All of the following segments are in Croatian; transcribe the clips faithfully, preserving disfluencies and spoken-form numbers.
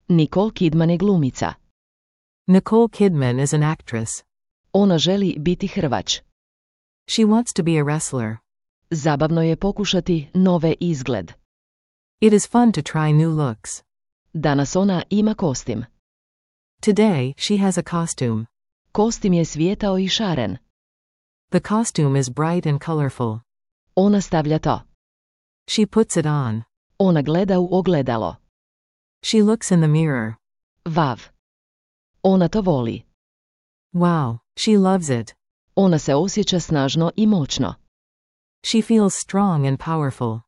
Nicole Kidman je glumica. Nicole Kidman is an actress. Ona želi biti hrvač. She wants to be a wrestler. Zabavno je pokušati nove izgled. It is fun to try new looks. Danas ona ima kostim. Today, she has a costume. Kostim je svijetao i šaren. The costume is bright and colorful. Ona stavlja to. She puts it on. Ona gleda u ogledalo. She looks in the mirror. Vav. Ona to voli. Wow, she loves it. Ona se osjeća snažno i moćno. She feels strong and powerful.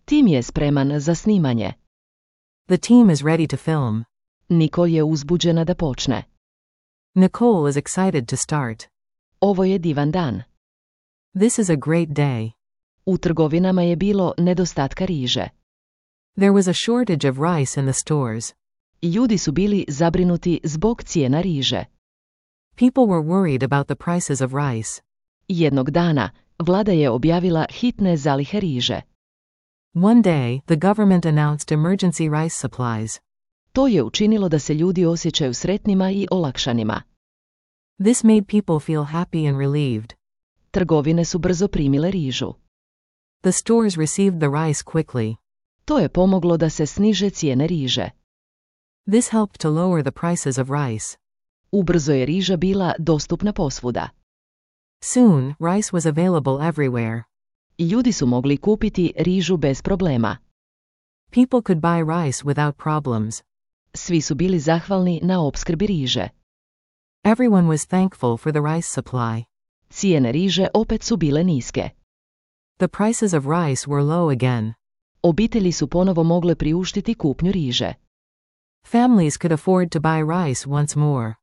Tim je spreman za snimanje. The team is ready to film. Nicole je uzbuđena da počne. Nicole is excited to start. Ovo je divan dan. This is a great day. U trgovinama je bilo nedostatka riže. There was a shortage of rice in the stores. Ljudi su bili zabrinuti zbog cijena riže. People were worried about the prices of rice. Jednog dana, vlada je objavila hitne zalihe riže. One day, the government announced emergency rice supplies. To je učinilo da se ljudi osjećaju sretnima i olakšanima. This made people feel happy and relieved. Trgovine su brzo primile rižu. The stores received the rice quickly. To je pomoglo da se sniže cijene riže. This helped to lower the prices of rice. Ubrzo je riža bila dostupna posvuda. Soon, rice was available everywhere. Ljudi su mogli kupiti rižu bez problema. People could buy rice without problems. Svi su bili zahvalni na opskrbi riže. Everyone was thankful for the rice supply. Cijene riže opet su bile niske. The prices of rice were low again. Obitelji su ponovo mogle priuštiti kupnju riže. Families could afford to buy rice once more.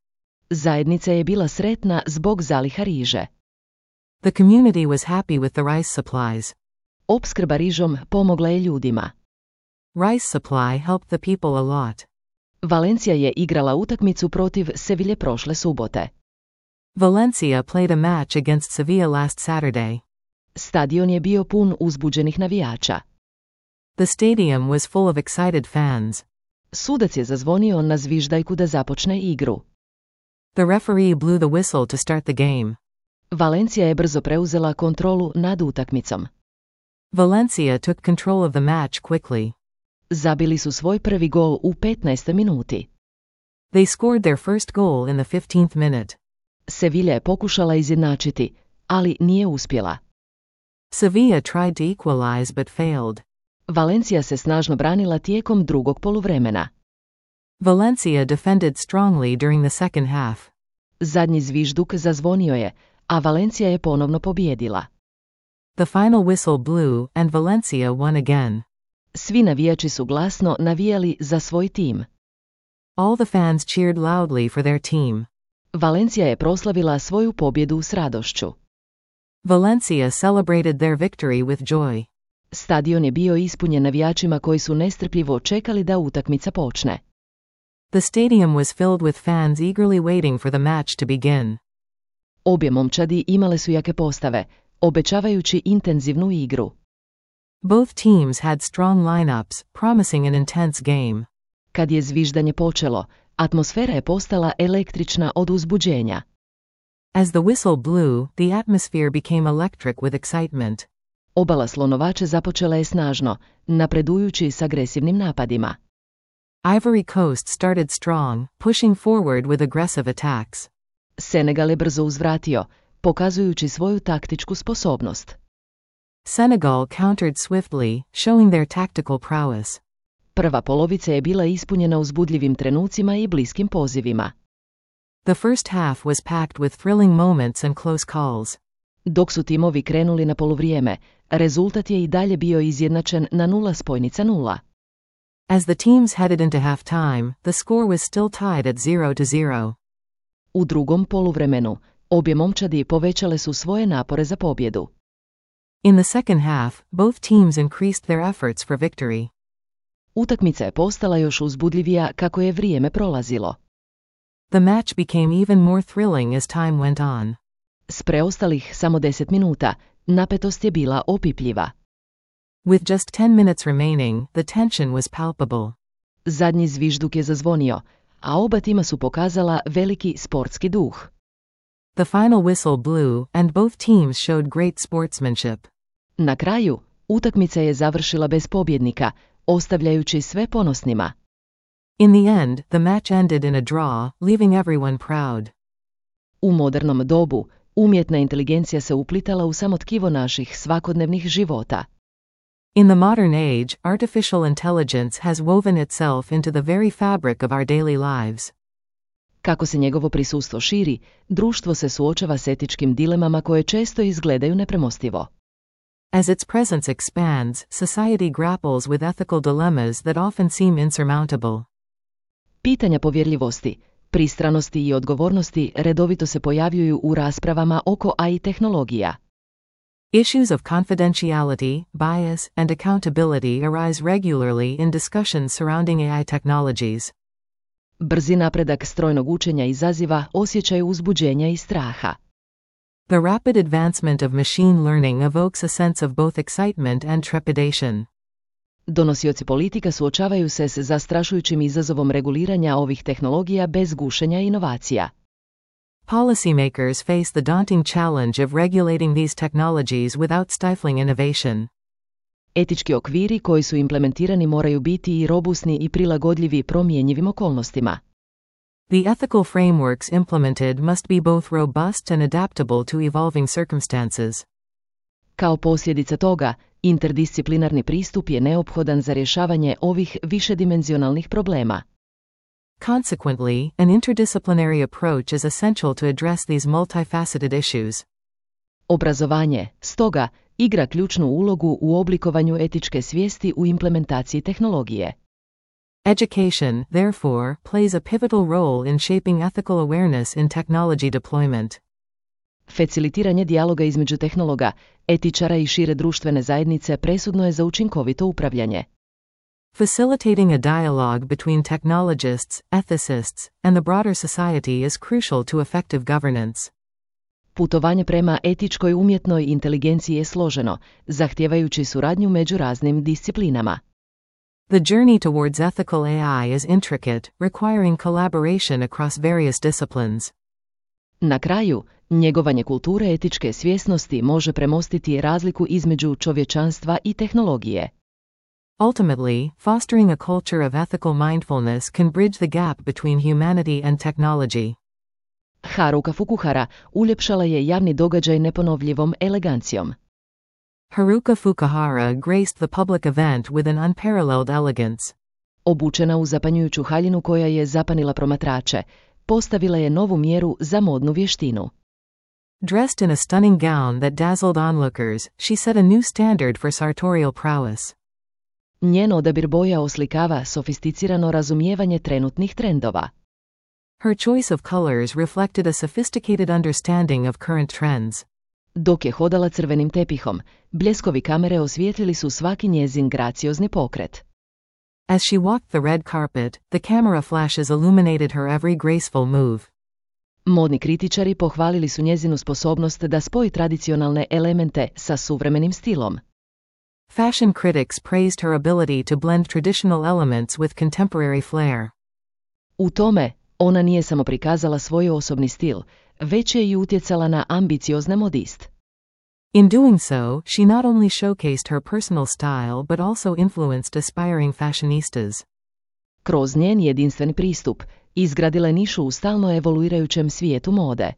Zajednica je bila sretna zbog zaliha riže. The community was happy with the rice supplies. Opskrba rižom pomogla je ljudima. Rice supply helped the people a lot. Valencija je igrala utakmicu protiv Sevilje prošle subote. Valencia played a match against Sevilla last Saturday. Stadion je bio pun uzbuđenih navijača. The stadium was full of excited fans. Sudac je zazvonio na zviždaljku da započne igru. The referee blew the whistle to start the game. Valencija je brzo preuzela kontrolu nad utakmicom. Valencia took control of the match quickly. Zabili su svoj prvi gol u petnaestoj minuti. They scored their first goal in the fifteenth minute. Sevilla je pokušala izjednačiti, ali nije uspjela. Sevilla tried to equalize but failed. Valencija se snažno branila tijekom drugog poluvremena. Valencia defended strongly during the second half. Zadnji zvižduk zazvonio je, a Valencija je ponovno pobijedila. The final whistle blew and Valencia won again. Svi navijači su glasno navijali za svoj tim. All the fans cheered loudly for their team. Valencija je proslavila svoju pobjedu s radošću. Valencia celebrated their victory with joy. Stadion je bio ispunjen navijačima koji su nestrpljivo čekali da utakmica počne. The stadium was filled with fans eagerly waiting for the match to begin. Obje momčadi imale su jake postave, obećavajući intenzivnu igru. Both teams had strong lineups, promising an intense game. Kad je zviždanje počelo, atmosfera je postala električna od uzbuđenja. As the whistle blew, the atmosphere became electric with excitement. Obala Slonovače započela je snažno, napredujući s agresivnim napadima. Ivory Coast started strong, pushing forward with aggressive attacks. Senegal je brzo uzvratio, pokazujući svoju taktičku sposobnost. Senegal countered swiftly, showing their tactical prowess. Prva polovica je bila ispunjena uzbudljivim trenucima i bliskim pozivima. The first half was packed with thrilling moments and close calls. Dok su timovi krenuli na poluvrijeme, rezultat je i dalje bio izjednačen na nula spojnica nula. As the teams headed into halftime, the score was still tied at zero to zero. U drugom poluvremenu, obje momčadi povećale su svoje napore za pobjedu. In the second half, both teams increased their efforts for victory. Utakmica je postala još uzbudljivija kako je vrijeme prolazilo. The match became even more thrilling as time went on. S preostalih samo deset minuta, napetost je bila opipljiva. With just ten minutes remaining, the tension was palpable. Zadnji zvižduk je zazvonio, a oba tima su pokazala veliki sportski duh. The final whistle blew, and both teams showed great sportsmanship. Na kraju, utakmica je završila bez pobjednika, ostavljajući sve ponosnima. In the end, the match ended in a draw, leaving everyone proud. U modernom dobu, umjetna inteligencija se uplitala u samo tkivo naših svakodnevnih života. In the modern age, artificial intelligence has woven itself into the very fabric of our daily lives. Kako se njegovo prisustvo širi, društvo se suočava s etičkim dilemama koje često izgledaju nepremostivo. As its presence expands, society grapples with ethical dilemmas that often seem insurmountable. Pitanja povjerljivosti, pristranosti i odgovornosti redovito se pojavljuju u raspravama oko A I tehnologija. Issues of confidentiality, bias, and accountability arise regularly in discussions surrounding A I technologies. Brzi napredak strojnog učenja izaziva osjećaj uzbuđenja i straha. The rapid advancement of machine learning evokes a sense of both excitement and trepidation. Donosioci politika suočavaju se s zastrašujućim izazovom reguliranja ovih tehnologija bez gušenja inovacija. Policymakers face the daunting challenge of regulating these technologies without stifling innovation. Etički okviri koji su implementirani moraju biti i robusni i prilagodljivi promjenjivim okolnostima. The ethical frameworks implemented must be both robust and adaptable to evolving circumstances. Kao posljedica toga, interdisciplinarni pristup je neophodan za rješavanje ovih višedimenzionalnih problema. Consequently, an interdisciplinary approach is essential to address these multifaceted issues. Obrazovanje, stoga, igra ključnu ulogu u oblikovanju etičke svijesti u implementaciji tehnologije. Education, therefore, plays a pivotal role in shaping ethical awareness in technology deployment. Facilitiranje dijaloga između tehnologa, etičara i šire društvene zajednice presudno je za učinkovito upravljanje. Facilitating a dialogue between technologists, ethicists, and the broader society is crucial to effective governance. Putovanje prema etičkoj umjetnoj inteligenciji je složeno, zahtijevajući suradnju među raznim disciplinama. The journey towards ethical A I is intricate, requiring collaboration across various disciplines. Na kraju, njegovanje kulture etičke svjesnosti može premostiti razliku između čovječanstva i tehnologije. Ultimately, fostering a culture of ethical mindfulness can bridge the gap between humanity and technology. Haruka Fukuhara uljepšala je javni događaj neponovljivom elegancijom. Haruka Fukuhara graced the public event with an unparalleled elegance. Obučena u zapanjujuću haljinu koja je zapanila promatrače, postavila je novu mjeru za modnu vještinu. Dressed in a stunning gown that dazzled onlookers, she set a new standard for sartorial prowess. Njen odabir boja oslikava sofisticirano razumijevanje trenutnih trendova. Her choice of colors reflected a sophisticated understanding of current trends. Dok je hodala crvenim tepihom, bljeskovi kamere osvijetlili su svaki njezin graciozni pokret. As she walked the red carpet, the camera flashes illuminated her every graceful move. Modni kritičari pohvalili su njezinu sposobnost da spoji tradicionalne elemente sa suvremenim stilom. Fashion critics praised her ability to blend traditional elements with contemporary flair. U tome, ona nije samo prikazala svoj osobni stil, već je i utjecala na ambiciozne modist. In doing so, she not only showcased her personal style but also influenced aspiring fashionistas. Kroz njen jedinstven pristup, izgradila je nišu u stalno evoluirajućem svijetu mode.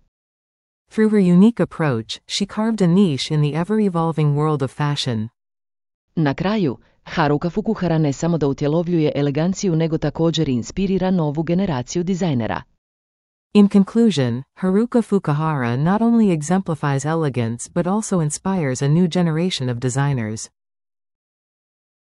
Through her unique approach, she carved a niche in the ever-evolving world of fashion. Na kraju, Haruka Fukuhara ne samo da utjelovljuje eleganciju nego također inspirira novu generaciju dizajnera. In conclusion, Haruka Fukuhara not only exemplifies elegance but also inspires a new generation of designers.